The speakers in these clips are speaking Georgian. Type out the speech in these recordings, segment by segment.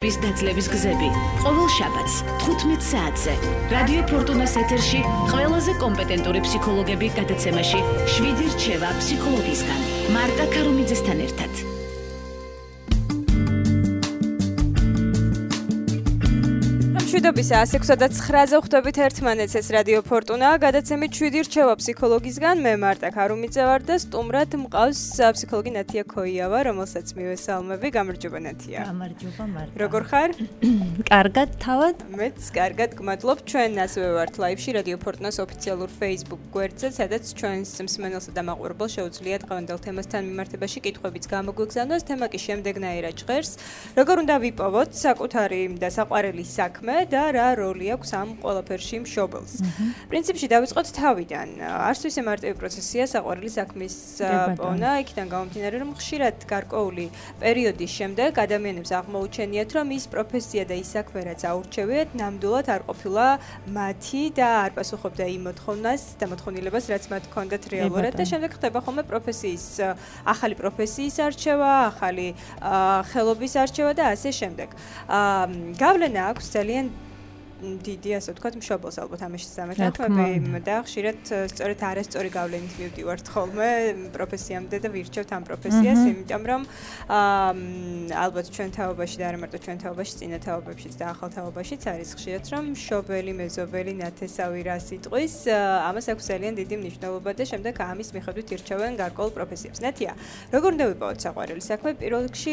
დაწლების გზები. ყოველ შაბათს 15 საათზე რადიო ფორტუნას ეთერში ყველაზე კომპეტენტური ფსიქოლოგები გადაცემაში 7 რჩევა ფსიქოლოგისგან მარტა ქარუმიძესთან ერთად. მშვიდობის 106-9-ზე ხვდებით ერთმანეთს, ეს რადიო ფორტუნა, გადაცემით 7 რჩევა ფსიქოლოგისგან, მე მარტა ქარუმიძე ვარ და სტუმრად მყავს ფსიქოლოგი ნათია ქოიავა, რომელსაც მივესალმები. გამარჯობა ნათია. გამარჯობა მარტა. როგორ ხარ? კარგად თავად? მეც კარგად გმადლობ. ჩვენ ასევე ვართ ლაივში რადიო ფორტუნას ოფიციალურ Facebook გვერდზე, სადაც ჩვენს მსმენელსა და მაყურებელს შეუძლია დღევანდელ თემასთან მიმართებაში კითხვებიც გამოგვიგზავნოს. თემა კი შემდეგნაირად ჟღერს. როგორ უნდა ვიპოვოთ საკუთარი და საყვარელი საქმე და რა როლი აქვს ამ ყველაფერში მშობელს. პრინციპში დავიწყოთ თავიდან. არც ისე მარტივი პროცესია საყვარელი საქმის პოვნა, იქიდან გამომდინარე, რომ ხშირად გარკვეული პერიოდის შემდეგ ადამიანებს აღმოუჩენიათ, რომ ის პროფესია და ის საქმე, რაც აურჩევიათ, ნამდვილად არ ყოფილა მათი და არ პასუხობდა იმ მოთხოვნას და მოთხოვნილებას, რაც მათ ჰქონდათ რეალურად და შემდეგ ხდება ხოლმე ახალი პროფესიის არჩევა, ახალი ხელობის არჩევა და ასე შემდეგ. გავლენა აქვს ძალიან დიდი, ასე ვთქვათ, მშობელს ალბათ ამაში სამეთაქმები და ხშირად სწორედ არასწორი გავლენით მივდივართ ხოლმე პროფესიამდე და ვირჩევთ ამ პროფესიას, იმიტომ რომ ალბათ ჩვენ თაობაში და არა მარტო ჩვენ თაობაში, წინა თაობებშიც და ახალ თაობაშიც არის ხშირად, რომ მშობელი, მეზობელი, ნათესავი რა სიტყვის, ამას აქვს ძალიან დიდი მნიშვნელობა და შემდეგ ამის მიხედვით ირჩევენ გარკვეულ პროფესიებს. ნათია, როგორ უნდა ვიპოვოთ საყვარელი საქმე? პირველ რიგში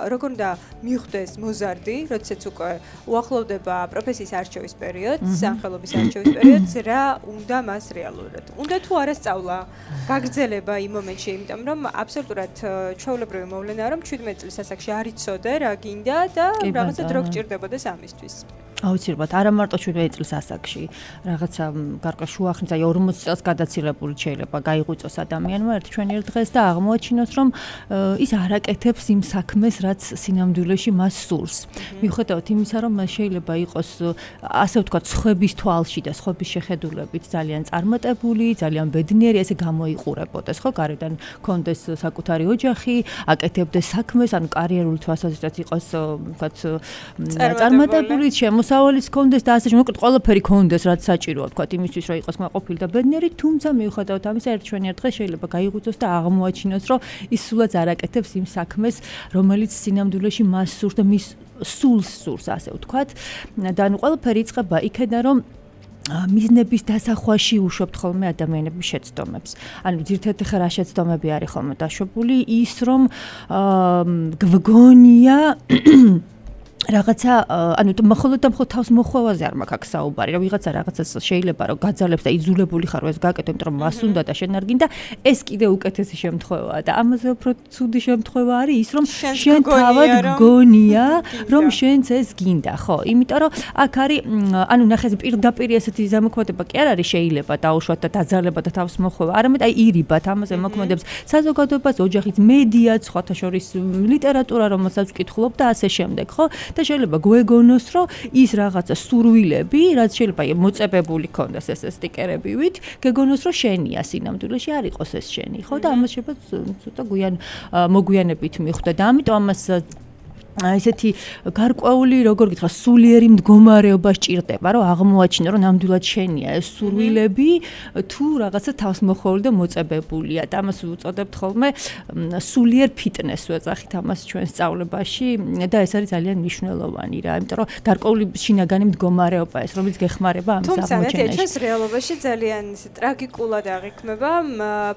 როგორ უნდა მიხვდეს მოზარდი, როდესაც უკვე უახლოვდება პროფესიის არჩევის პერიოდს, სახელობის არჩევის პერიოდს, რა უნდა მას რეალურად? უნდა თუ არა სწავლა, გაგრძელება იმ მომენტში, იმიტომ რომ აბსოლუტურად ჩვეულებრივი მოვლენაა, რომ 17 წლის ასაკში არ იცოდე რა გინდა და რაღაცა დრო გჭირდებოდეს ამისთვის. აუცილებლად, არა მარტო 17 წლის ასაკში, რაღაცა გარკვეულ შუახნის, აი 40 წელს გადაცილებული შეიძლება გაიღვიწოს ადამიანმა ჩვენიერ დღეს და აღმოაჩინოს, რომ ის არ აკეთებს იმ საქმეს, რაც სინამდვილეში მას სურს. მიუხედავად იმისა, რომ შეიძლება იყოს ასე ვთქვათ, სხვების თვალში და სხვების შეხედულებით ძალიან წარმატებული, ძალიან ბედნიერი, ესე გამოიყურებოდეს, ხო, გარედან კონდეს sakutari ოჯახი, აკეთებდეს საქმეს, ანუ კარიერული თვალსაზრისით იყოს, ვთქვათ, წარმატებული, მოსავალიც კონდეს და ასე შემოკლედ ყველაფერი კონდეს, რაც საჭიროა, ვთქვათ, იმისთვის, რომ იყოს კმაყოფილი და ბედნიერი, თუმცა მიუხედავად ამისა, ჩვენიერ დღეს შეიძლება გაიღვიწოს და აღმოაჩინოს, რომ ის სულაც არ აკეთებს იმ საქმეს, რომელიც სინამდვილეში მას სურს და მის სულს სურს, ასე ვთქვათ. და ანუ ყველაფერი იწყება იქიდან, რომ მიზნების დასახვაში უშვებთ ხოლმე ადამიანების შეცდომებს. ანუ ძირითადად ხა რა შეცდომები არის ხოლმე დაშვებული, ის რომ გვგონია რაღაცა, ანუ მხოლოდ თავს მოხვევაზე არ მაქვს აქ საუბარი, რომ ვიღაცა რაღაცას შეიძლება რომ გაძალებს და იძულებული ხარ რომ ეს გააკეთო, იმიტომ რომ მას უნდა და შენ არ გინდა, ეს კიდე უკეთესი შემთხვევაა და ამაზე უფრო ცუდი შემთხვევა არის ის, რომ შენ თავად გგონია, რომ შენც ეს გინდა, ხო? იმიტომ რომ აქ არის, ანუ ნახე, პირდაპირ ესეთი ზემოქმედება კი არ არის შეიძლება დაუშვათ და დაძალება და თავს მოხვევა, არამედ აი ირიბათ ამაზე მოქმედებს საზოგადოებას, ოჯახიც, მედია, სხვათა შორის ლიტერატურა, რომელსაც ვკითხულობ და ასე შემდეგ, ხო? და შეიძლება გვეგონოს, რომ ის რაღაცა სურვილები, რაც შეიძლება მოწებებული ქონდეს ეს სტიკერებივით, გეგონოს, რომ შენია სინამდვილეში არ იყოს ეს შენი, ხო? და ამას შეიძლება ცოტა მოგვიანებით მიხვდა და ამიტომ ამას ესეთი გარკვეული, როგორ გითხრა, სულიერი მდგომარეობა სჭირდება, რომ აღმოაჩინო, რომ ნამდვილად შენია ეს სურვილები, თუ რაღაცა თავსმოხვეული და მოწებებულია და ამას უწოდებთ ხოლმე სულიერ ფიტნესს ვეძახით ამას ჩვენ სწავლებაში და ეს არის ძალიან მნიშვნელოვანი რა, იმიტომ რომ გარკვეული შინაგანი მდგომარეობა ეს, რომელიც გეხმარება ამის აღმოჩენაში. თუმცა ჩვენს რეალობაში ძალიან ტრაგიკულად აღიქმება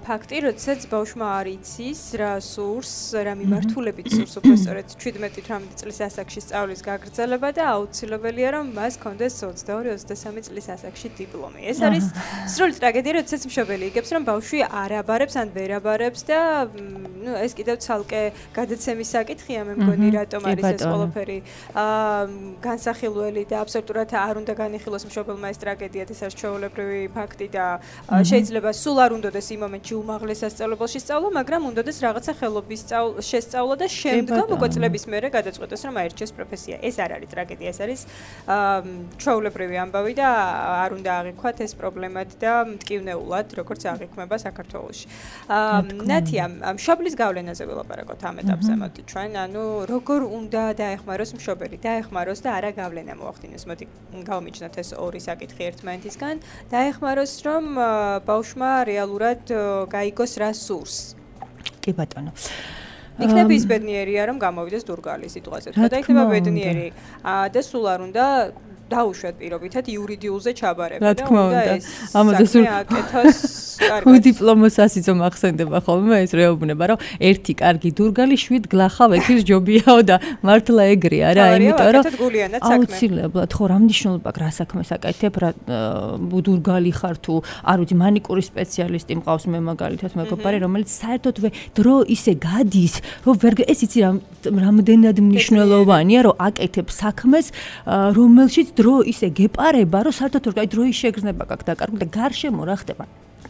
ფაქტი, როდესაც ბავშვმა არ იცის რა სურს, რა მიმართულებით სურს, უფრო სწორედ 17 18 წლის ასაკში სწავლის გაგრძელება და აუცილებელია რომ მას ჰქონდეს 22-23 წლის ასაკში დიპლომი. ეს არის სრული ტრაგედია, როდესაც მშობელი იგებს რომ ბავშვი არ აბარებს ან ვერ აბარებს და ეს კიდევ ცალკე გადაცემის საკითხია, მე მგონი, რატომ არის ეს ყველაფერი განსახილველი და აბსოლუტურად არ უნდა განიხილოს მშობელმა ეს ტრაგედია, ეს არის ჩვეულებრივი ფაქტი და შეიძლება სულ არ უნდადეს იმ მომენტში უმაღლეს სასწავლებელში სწავლა, მაგრამ უნდადეს რაღაცა ხელობის შესწავლა და შემდგომ უკვე წლების მერე გადაწყვეტოს რომ აირჩიოს პროფესია. ეს არ არის ტრაგედია, ეს არის ჩვეულებრივი ამბავი და არ უნდა აღიქვათ ეს პრობლემად და მტკივნეულად, როგორც აღიქმება საქართველოში. ნათია, მშობლის გავლენაზე ვილაპარაკოთ ამ ეტაპზე, მოდი ჩვენ, ანუ როგორ უნდა დაეხმაროს მშობელი, დაეხმაროს და არა გავლენა მოახდინოს. მოდი გავმიჯნოთ ეს ორი საკითხი ერთმანეთისგან. დაეხმაროს, რომ ბავშვმა რეალურად გაიგოს რა სურს. კი ბატონო. იქნება ის ბედნიერია, რომ გამოვიდეს დურგალი სიტყვაზე. თქვა და იქნება ბედნიერი და სულ არ უნდა დაუშვათ პირობითად იურიდიულზე ჩაბარება და უნდა ეს ამაზე სულ აკეთოს კარგად. დიპლომოს ასიცო მახსენდება ხოლმე ეს რეუბნება, რომ ერთი კარგი დურგალი 7 გლახავ ექის ჯობიაო და მართლა ეგრე არა, იმიტომ რომ აუცილებლად ხო რა მნიშვნელობა აქვს რა საქმეს აკეთებ, რა დურგალი ხარ თუ არ ვიცი მანიკურის სპეციალისტი მყავს მე მაგალითად მეგობარი, რომელიც საერთოდ დრო ისე გადის, რომ ვერ ეს იცი რამდენად მნიშვნელოვანია, რომ აკეთებ საქმეს, რომელშიც დრო ისე გეპარება, რომ საერთოდ აი დროის შეგრძნება გაქვს დაკარგული და გარშემო რა ხდება.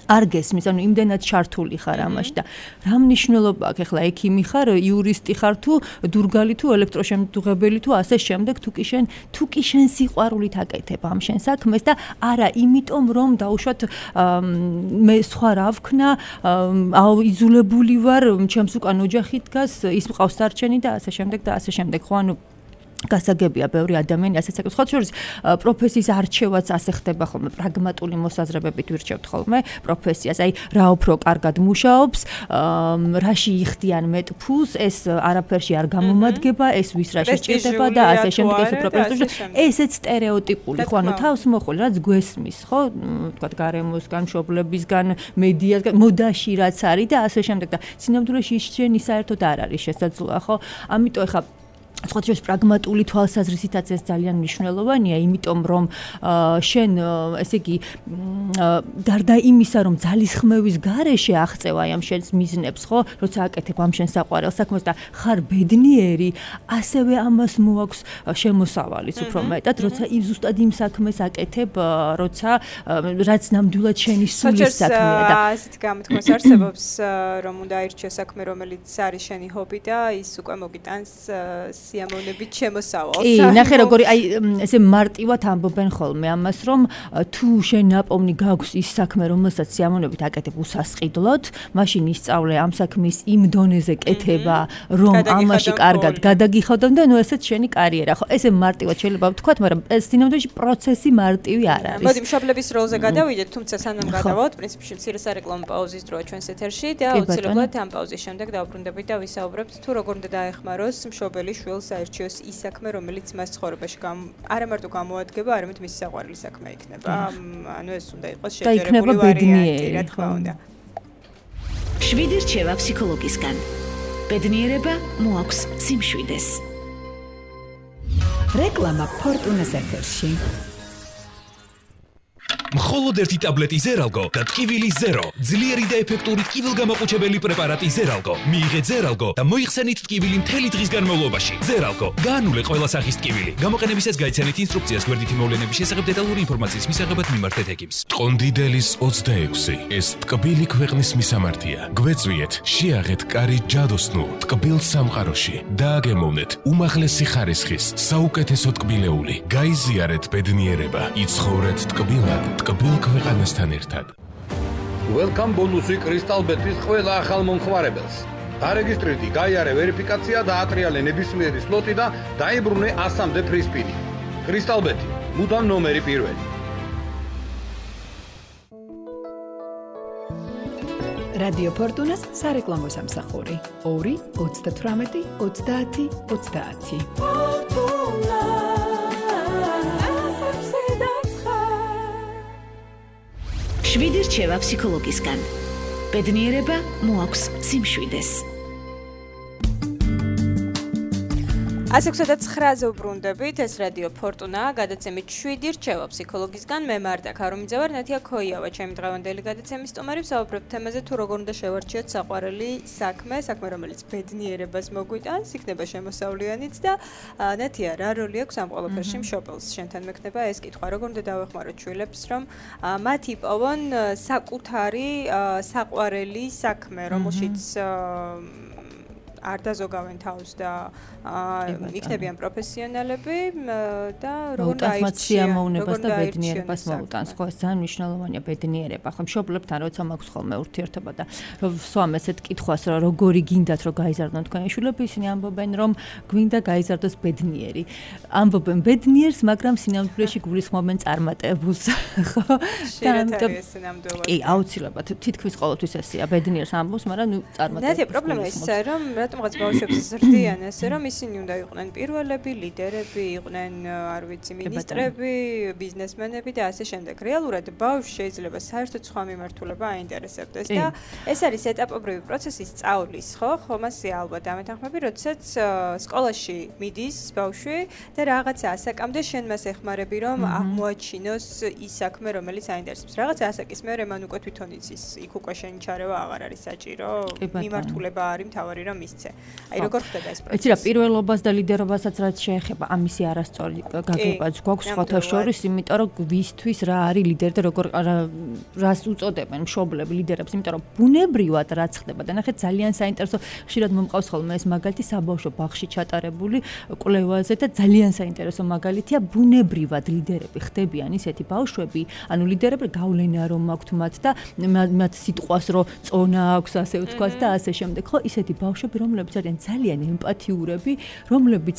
არ გესმის, ანუ იმდენად ჩართული ხარ ამაში და რა მნიშვნელობა აქვს ახლა ექიმი ხარ, იურისტი ხარ თუ დურგალი თუ ელექტროშემდგებელი თუ ასე შემდეგ თუ კი შენ სიყვარულით აკეთებ ამ შენ საქმეს და არა იმიტომ რომ დაუშვათ მე სხვა რა ვქნა, იზოლებული ვარ, ჩემს უკან ოჯახი დგას, ის მყავს სარჩენი და ასე შემდეგ და ასე შემდეგ. ხო ანუ გასაგებია ბევრი ადამიანი ასეც აკეთებს. ხოთ შორის პროფესიის არჩევაც ასე ხდება ხოლმე, პრაგმატული მოსაზრებებით ვირჩევთ ხოლმე პროფესიას. აი რა უფრო კარგად მუშაობს, რაში იხდიან მეტ ფულს, ეს არაფერში არ გამომადგება, ეს ვის რა შეჭირდება და ასე შემდეგ ეს პროფესია. ესეც სტერეოტიპული, ხო ანუ თავს მოხული, რაც გვესმის, ხო, თქვა გარემოსგან, მშობლებისგან, მედიასგან, მოდაში რაც არის და ასე შემდეგ და სინამდვილეში ის შენი საერთოდ არ არის შესაძლოა, ხო? ამიტომ ეხა სხვა შორის პრაგმატული თვალსაზრისითაც ეს ძალიან მნიშვნელოვანია, იმიტომ რომ შენ ესე იგი გარდა იმისა, რომ ძალისხმევის გარეშე აღწევა ამ შენს მიზნებს, ხო, როცა აკეთებ ამ შენ საყვარელ საქმეს და ხარ ბედნიერი, ასევე ამას მოაქვს შემოსავალიც უფრო მეტად, როცა ზუსტად იმ საქმეს აკეთებ, როცა რაც ნამდვილად შენი სულის საქმეა და ასეთ გამოთქმას არსებობს, რომ უნდა აირჩიო საქმე, რომელიც არის შენი ჰობი და ის უკვე მოგიტანს სიამოვნებით შემოსავალს. კი, ნახე როგორი აი ესე მარტივად ამბობენ ხოლმე ამას, რომ თუ შენ ნაპოვნი გაქვს ის საქმე, რომელსაც სიამოვნებით აკეთებ უსასყიდლოდ, მაშინ ისწავლე ამ საქმის იმ დონეზე კეთება, რომ ამაში კარგად გადაგიხადონ და ნუ ესეც შენი კარიერა. ხო, ესე მარტივად შეიძლება ვთქვათ, მაგრამ ეს სინამდვილეში პროცესი მარტივი არ არის. მოდი მშობლების როლზე გადავიდეთ, თუმცა სანამ გადავალთ, პრინციპში მცირე სარეკლამო პაუზის დროა ჩვენს ეთერში და აუცილებლად ამ პაუზის შემდეგ დავბრუნდებით და ვისაუბრებთ თუ როგორ უნდა დაეხმაროს მშობელი შვილს საერთოდ ის საქმე, რომელიც მას ცხოვრებაში არა მარტო გამოადგება, არამედ მისი საყვარელი საქმე იქნება. ანუ ეს უნდა იყოს შეჯერებული ვარიანტი, რა თქმა უნდა. 7 რჩევა ფსიქოლოგისგან. ბედნიერება მოაქვს სიმშვიდეს. რეკლამა ფორტუნას ეთერში. მხოლოდ ერთი ტაბლეტი ზერალგო და ტკივილი ზერო. ძლიერი და ეფექტური ტკივილგამაყუჩებელი პრეპარატი ზერალგო. მიიღეთ ზერალგო და მოიხსენით ტკივილი მთელი დღის განმავლობაში. ზერალგო. გაანულე ყველა სახის ტკივილი. გამოყენებისას გაიცანით ინსტრუქციას გვერდითი მოვლენების შესახებ დეტალური ინფორმაციის მისაღებად მიმართეთ ექიმს. ტყონდიდელის 26. ეს ტკბილი ქვეყნის მისამართია. გვეწვიეთ, შეაღეთ კარი ჯადოსნურ ტკბილ სამყაროში. დააგემოვნეთ უმაღლესი ხარისხის საუკეთესო ტკბილეული. გაიზიარეთ ბედნიერება. იცხოვრეთ ტკბილად. ტკბილ ქვეყანასთან ერთად. Welcome ბონუსი კრისტალბეტის ყველა ახალ მომხმარებელს. დარეგისტრირდი, გაიარე ვერიფიკაცია და ატრიალე ნებისმიერი სლოტი და დაიბრუნე 100-მდე ფრისპინი. კრისტალბეტი, მუდამ ნომერი პირველი. რადიო ფორტუნას სარეკლამო სამსახური 2 38 30 30. შვიდი რჩევა ფსიქოლოგისგან. ბედნიერება მოაქვს სიმშვიდეს. 169-ზე ვბრუნდებით, ეს რადიო ფორტუნა, გადაცემით 7 რჩევა ფსიქოლოგისგან. მე მართა ქარუმიძე ვარ, ნათია ქოიავა, ჩემი დღევანდელი გადაცემის სტუმარი. ვსაუბრობთ თემაზე თუ როგორ უნდა შევარჩიოთ საყვარელი საქმე, რომელიც ბედნიერებას მოგვიტანს, იქნება შემოსავლიანიც და ნათია, რა როლი აქვს ამ ყველაფერში მშობელს? შენთან მექნება ეს კითხვა, როგორ უნდა დავეხმაროთ შვილებს, რომ მათ იპოვონ საკუთარი საყვარელი საქმე, რომელშიც არ დაზოგავენ თავს და იქნებიან პროფესიონალები და როგორ დაირჩიან და ბედნიერებას მოუტანს. ხო, ეს ძალიან მნიშვნელოვანია ბედნიერება. ხო, მშობლებთან როცა მაქვს ხოლმე ურთიერთობა და რომ ვსვამ ესეთ კითხვას, რომ როგორი გინდათ რომ გაიზარდონ თქვენი შვილები, ისინი ამბობენ, რომ გვინდა გაიზარდოს ბედნიერი. ამბობენ ბედნიერს, მაგრამ სინამდვილეში გულისხმობენ წარმატებულს. ხო? და ამიტომ კი, აუცილებლად თითქმის ყოველთვის ესეა, ბედნიერს ამბობს, მაგრამ ნუ წარმატებულს. და პრობლემა ისაა, რომ რატომღაც ბავშვებს ზრდიან ესე, რომ ისინი უნდა იყვნენ პირველები, ლიდერები, იყვნენ, არ ვიცი, მინისტრები, ბიზნესმენები და ასე შემდეგ. რეალურად ბავშვს შეიძლება საერთოდ სხვა მიმართულება აინტერესებდეს და ეს არის ეტაპობრივი პროცესი სწავლის, ხო? ხომასე ალბათ ამეთანხმები, როდესაც სკოლაში მიდის ბავშვი და რაღაცა ასაკამდე შენ მას ეხმარები, რომ აღმოაჩინოს ის საქმე, რომელიც აინტერესებს. რაღაცა ასაკის მერე მან უკვე თვითონ იცის, იქ უკვე შენი ჩარევა აღარ არის საჭირო, მიმართულება არის მთავარი რომ მისცე. აი როგორ ხდება ეს პროცესი? იცი რა, პირველობას და ლიდერობასაც რაც შეეხება, ამისი არასწორი გაგებაც გვაქვს სხვათა შორის, იმიტომ რომ ვისთვის რა არის ლიდერი და როგორ რას უწოდებენ მშობლები ლიდერებს, იმიტომ რომ ბუნებრივად რაც ხდება და ნახეთ ძალიან საინტერესო ხშირად მომყავს ხოლმე ეს მაგალითი საბავშვო ბაღში ჩატარებული კვლევაზე და ძალიან საინტერესო მაგალითია ბუნებრივად ლიდერები ხდებიან ისეთი ბავშვები, ანუ ლიდერები გავლენა რომ აქვთ მათ და მათ სიტყვას რომ წონა აქვს ასე ვთქვათ და ასე შემდეგ. ხო, ისეთი ბავშვები, რომლებიც არიან ძალიან ემპათიურები, რომლებიც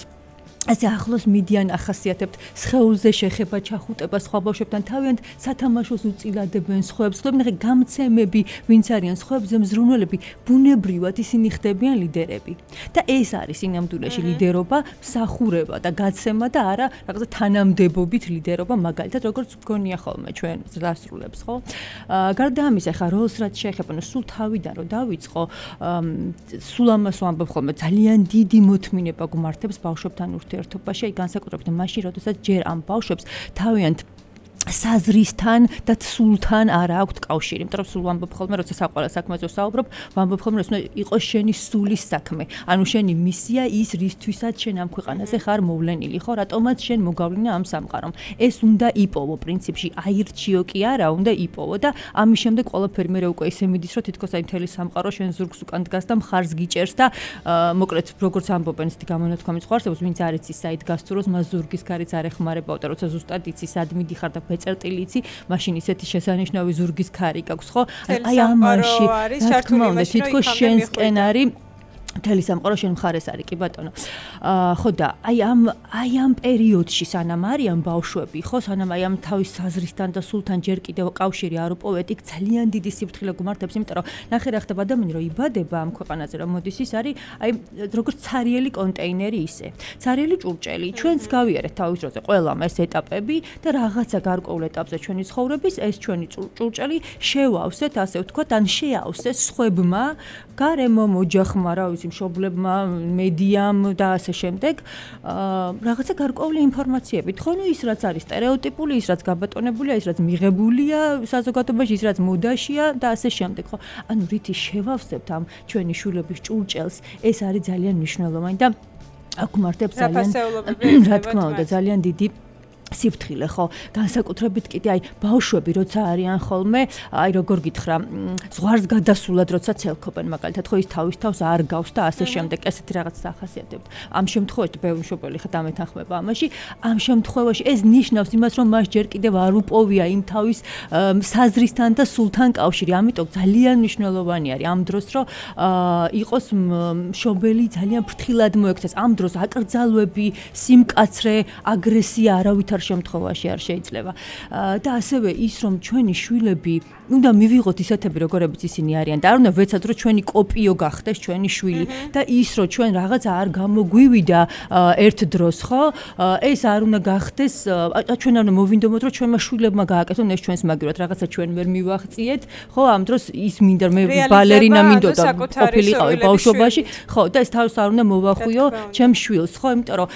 ასე ახლოს მიდიან ახასიათებთ სხეულზე შეხება, ჩახუტება სხვა ბავშვებთან, თავიანთ სათამაშოს უწილადებენ სხვებს, ხდებიან გამცემები, ვინც არიან სხვებზე მზრუნველები, ბუნებრივად ისინი ხდებიან ლიდერები. და ეს არის სინამდვილეში ლიდერობა, მსახურება და გაცემა და არა რაღაცა თანამდებობით ლიდერობა, მაგალითად როგორც გქონია ხოლმე ჩვენ დასრულებს, ხო? გარდა ამისა, ხა როლს რაც შეეხება, ნუ სულ თავიდან რომ დავიწყო, სულ ამას ვამბობ ხოლმე, ძალიან დიდი მოთმინება გვმართებს ბავშვებთან ურთიერთობაში, აი განსაკუთრებით მაშინ, როდესაც ჯერ ამ ბავშვებს თავიანთ საზრისთან და სულთან არ აქვთ კავშირი. იმიტომ რომ სულ ვამბობ ხოლმე, როცა საყვარელ საქმეზე ვსაუბრობ, ვამბობ ხოლმე, რომ იყოს შენი სულის საქმე. ანუ შენი მისია ის, რისთვისაც შენ ამ ქვეყანაზე ხარ მოვლენილი, ხო? რატომაც შენ მოგავლინა ამ სამყარომ. ეს უნდა იპოვო პრინციპში, აირჩიო კი არა, უნდა იპოვო და ამის შემდეგ ყველაფერი მე უკვე ისე მიდის, რომ თითქოს აი მთელი სამყარო შენ ზურგს უკან დგას და მხარს გიჭერს და მოკლედ როგორც ამბობენ ესეთი გამონათქვამის ხوارსებს, ვინც არ იცის საით გასწუროს, მას ზურგის გარიც არ ეხმარებაო და როცა ზუსტად იცის სად მიდიხარ და წერტილი იცი, მაშინ ისეთი შესანიშნავი ზურგის ქარი გაქვს, ხო? აი ამაში, რა თქმა უნდა, თითქოს შენსკენ არის მთელი სამყარო შენ მხარეს არის, კი ბატონო. ხო და აი ამ პერიოდში სანამ არიან ბავშვები, ხო, სანამ აი ამ თავის საზრისთან და სულთან ჯერ კიდევ კავშირი არ უპოვეთ, იქ ძალიან დიდი სიფრთხილე გუმართებს, იმიტომ რომ ნახე რა ხდება ადამიანი რომ იბადება ამ ქვეყანაზე, რომ მოდის ის არის აი როგორც ცარიელი კონტეინერი ისე. ცარიელი ჭურჭელი, ჩვენც გავიარეთ თავის დროზე ყველამ ეს ეტაპები და რაღაცა გარკვეულ ეტაპზე ჩვენი ცხოვრების ეს ჩვენი ჭურჭელი შევავსეთ, ასე ვთქვათ, ან შეავსეს სხვებმა, გარემომ, ოჯახმა, რა ვიცი, მშობლებმა, მედიამ და ასე შემდეგ, რაღაცა გარკვეული ინფორმაციებით. ხო, ნუ ის რაც არის სტერეოტიპული, ის რაც გაბატონებულია, ის რაც მიღებულია საზოგადოებაში, ის რაც მოდაშია და ასე შემდეგ, ხო? ანუ რითი შევავსებთ ამ ჩვენი შვილების ჭურჭელს, ეს არის ძალიან მნიშვნელოვანი და აქ მარტებს ძალიან რა თქმა უნდა, ძალიან დიდი სიფრთხილე, ხო, განსაკუთრებით კიდე აი ბავშვები როცა არიან ხოლმე, აი როგორ გითხრა, ზღვარს გადასულად როცა ცელქობენ, მაგალითად, ხო, ის თავის თავს არ გავს და ასე შემდეგ, ესეთი რაღაცას ახასიათებთ. ამ შემთხვევაში ბევრი მშობელი ხა დამეთანხმება ამაში, ამ შემთხვევაში ეს ნიშნავს იმას, რომ მას ჯერ კიდევ არ უპოვია იმ თავის საზრისთან და სულთან კავშირი, ამიტომ ძალიან მნიშვნელოვანი არის ამ დროს, რომ იყოს მშობელი ძალიან ფრთხილად მოექცეს, ამ დროს აკრძალვები, სიმკაცრე, აგრესია არავითარ შემთხვევაში არ შეიძლება. და ასევე ის რომ ჩვენი შვილები უნდა მივიღოთ ისეთები როგორებიც ისინი არიან და არ უნდა ვეცადოთ რომ ჩვენი კოპიო გახდეს ჩვენი შვილი და ის რომ ჩვენ რაღაცა არ გამოგვივიდა ერთ დროს, ხო? ეს არ უნდა გახდეს, ჩვენ არ უნდა მოვინდომოთ რომ ჩვენმა შვილებმა გააკეთონ ეს ჩვენს მაგივრად, რაღაცა ჩვენ ვერ მივახციეთ, ხო? ამ დროს ის მინდა მე ბალერინა მინდოდა ყოფილიყავი ბავშვობაში, ხო? და ეს თავს არ უნდა მოვახვიო ჩემ შვილს, ხო? იმიტომ რომ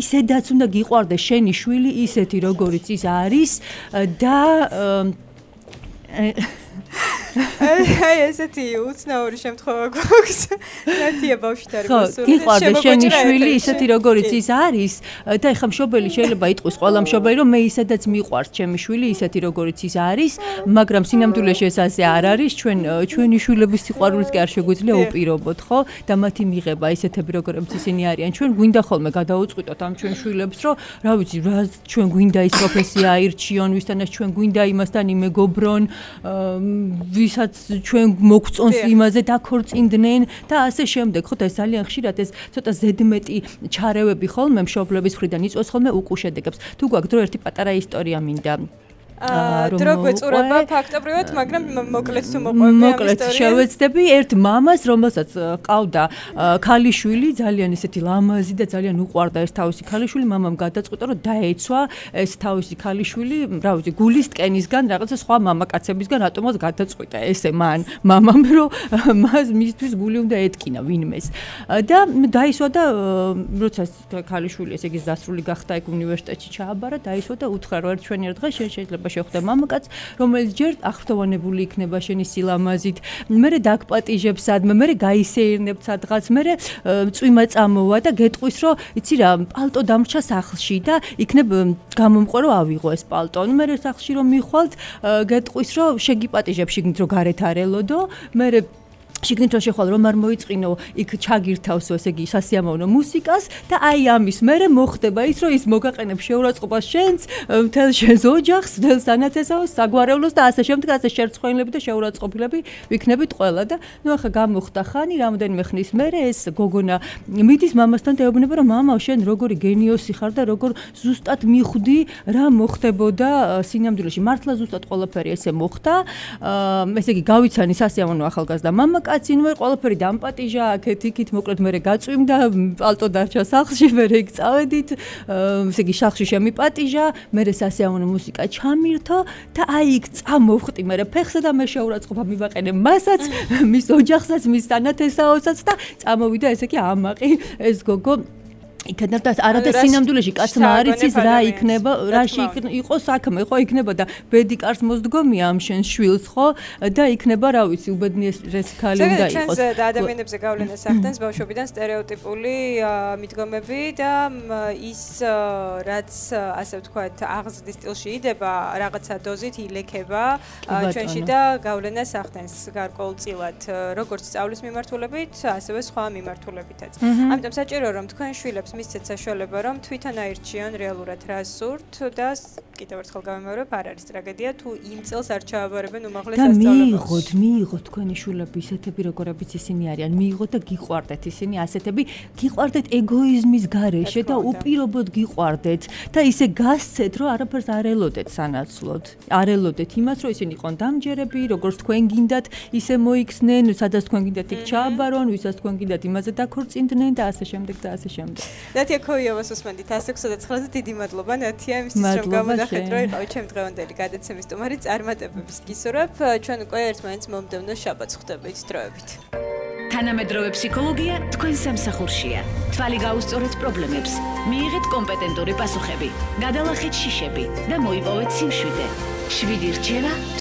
ისედაც უნდა გიყვარდეს შენი შვილი ისეთი როგორიც ის არის და აი ესეთი უცნაური შემთხვევა გვაქვს. ნათია ბავშვით არის მოსული. გიყვარდა შენი შვილი ისეთი როგორიც ის არის და ეხლა მშობელი შეიძლება იტყვის ყველა მშობელი რომ მე ისედაც მიყვარს ჩემი შვილი ისეთი როგორიც ის არის, მაგრამ სინამდვილეში ეს ასე არ არის. ჩვენი შვილების სიყვარულიც კი არ შეგვიძლია უპირობოთ, ხო? და მათი მიღება ისეთები როგორიც ისინი არიან. ჩვენ გვინდა ხოლმე გადაუწყვიტოთ ამ ჩვენ შვილებს, რომ რა ვიცი, რა ჩვენ გვინდა ის პროფესია აირჩიონ, ვისთანაც ჩვენ გვინდა იმასთან იმეგობრონ, ვისაც ჩვენ მოგწონს იმაზე დაქორწინდნენ და ასე შემდეგ. ხო და ეს ძალიან ხშირად ეს ცოტა ზედმეტი ჩარევები ხოლმე მშობლების მხრიდან იწვევს ხოლმე უკუშედეგებს. თუ გვაქვს დრო ერთი პატარა ისტორია მინდა დრო გვეწურება ფაქტობრივად, მაგრამ მოკლედ თუ მოყვები ამ ისტორიას. შევეცდები ერთ მამას, რომელსაც ყავდა ქალიშვილი, ძალიან ისეთი ლამაზი და ძალიან უყვარდა ეს თავისი ქალიშვილი, მამამ გადაწყვიტა, რომ დაეცვა ეს თავისი ქალიშვილი, რა ვიცი, გულის ტკენისგან, რაღაცა სხვა მამაკაცებისგან, რატომაც გადაწყვიტა ესე მამამ, რომ მისთვის გული უნდა ეტკინა ვინმეს. და დაისვა და როცა ქალიშვილი ესე იგი დასრული გახდა ეგ უნივერსიტეტში ჩააბარა, დაისვა და უთხრა, რომ ერთ ჩვენი ერთ დღეს შეიძლება შეხვდა მამაკაც, რომელიც ჯერ აღფრთოვანებული იქნება შენი სილამაზით, მერე დაგპატიჟებს სადმე, მერე გაისეირნებს სადღაც, მერე წვიმა წამოვა და გეტყვის, რომ იცი რა, პალტო დამრჩა სახლში და იქნებ გამომყვა რომ ავიღო ეს პალტო. მერე სახლში რომ მიხვალთ, გეტყვის, რომ შეგიპატიჟებს შიგნით რომ გარეთ არ ელოდო, მერე შიგნით რომ შეხვალ რომ არ მოიწყინო, იქ ჩაგირთავსო, ესე იგი სასიამოვნო მუსიკას და აი ამის მერე მოხდება ის, რომ ის მოგაყენებს შეურაცხყოფას შენს, მთელ შენს ოჯახს, მთელ სანათესაოს, საგვარეულოს და ასე შემდეგ, ასე შერცხვენილები და შეურაცხყოფილები ვიქნებით ყველა და ნუ ახლა გამოხდა ხანი, რამდენიმე ხნის მერე ეს გოგონა მიდის მამასთან და ეუბნება, რომ მამა, შენ როგორი გენიოსი ხარ და როგორ ზუსტად მიხვდი რა მოხდებოდა სინამდვილეში. მართლა ზუსტად ყველაფერი ესე მოხდა. ესე იგი გავიცანი სასიამოვნო ახალგაზრდა მამა კაცი, ნუ ყველაფერი დამპატიჟა, აქეთ-იქით, მოკლედ მერე გაწვიმდა, პალტო დარჩა სახლში, მერე იქ წავედით, ესე იგი სახლში შემიპატიჟა, მერე სასიამოვნო მუსიკა ჩამირთო და აი იქ წამოვხტი მერე ფეხსა და მე შეურაცხყოფა მივაყენე მასაც, მის ოჯახსაც, მის სანათესაოსაც და წამოვიდა ესე იგი ამაყი ეს გოგო იქნებ და არადა სინამდვილეში კაცმა არ იცის რა იქნება, რაში იყო საქმე, ხო იქნება და ბედი კარს მოსდგომია ამ შენს შვილს, ხო და იქნება რა ვიცი, უბედნიერეს ქალი უნდა იყოს. ჩვენს ადამიანებზე გავლენას ახდენს ბავშვობიდან სტერეოტიპული მიდგომები და ის რაც ასე ვთქვათ, აღზრდის სტილში იდება, რაღაცა დოზით ილექება ჩვენში და გავლენას ახდენს გარკვეულწილად, როგორც სწავლის მიმართულებით, ასევე სხვა მიმართულებითაც. ამიტომ საჭირო რომ თქვენ შვილებს მისცეთ საშუალება რომ თვითონ აირჩიონ რეალურად რა სურთ და კიდევ ერთხელ გავიმეორებ, არ არის ტრაგედია თუ იმ წელს არ ჩააბარებენ უმაღლეს სასწავლებელში. და მიიღოთ თქვენი შვილები ისეთები როგორებიც ისინი არიან, მიიღოთ და გიყვარდეთ ისინი ასეთები, გიყვარდეთ ეგოიზმის გარეშე და უპირობოდ გიყვარდეთ და ისე გასცეთ რომ არაფერს არ ელოდეთ სანაცვლოდ. არ ელოდეთ იმას რომ ისინი იყვნენ დამჯერები, როგორც თქვენ გინდათ ისე მოიქცნენ, სადაც თქვენ გინდათ იქ ჩააბარონ, ვისაც თქვენ გინდათ იმაზე დაქორწინდნენ და ასე შემდეგ და ასე შემდეგ. ნათია ქოიოვას უსმენთ 169-ზე დიდი მადლობა ნათია იმისთვის რომ გამონახეთ რომ იყავით ჩემი დღევანდელი გადაცემის სტუმარი წარმატებების გისურვებ ჩვენ უკვე ერთმანეთს მომდევნო შაბათს ხვდებით დროებით თანამედროვე ფსიქოლოგია თქვენ სამსახურშია თვალი გაუსწორეთ პრობლემებს მიიღეთ კომპეტენტური პასუხები გადალახეთ შიშები და მოიპოვეთ სიმშვიდე 7 რჩევა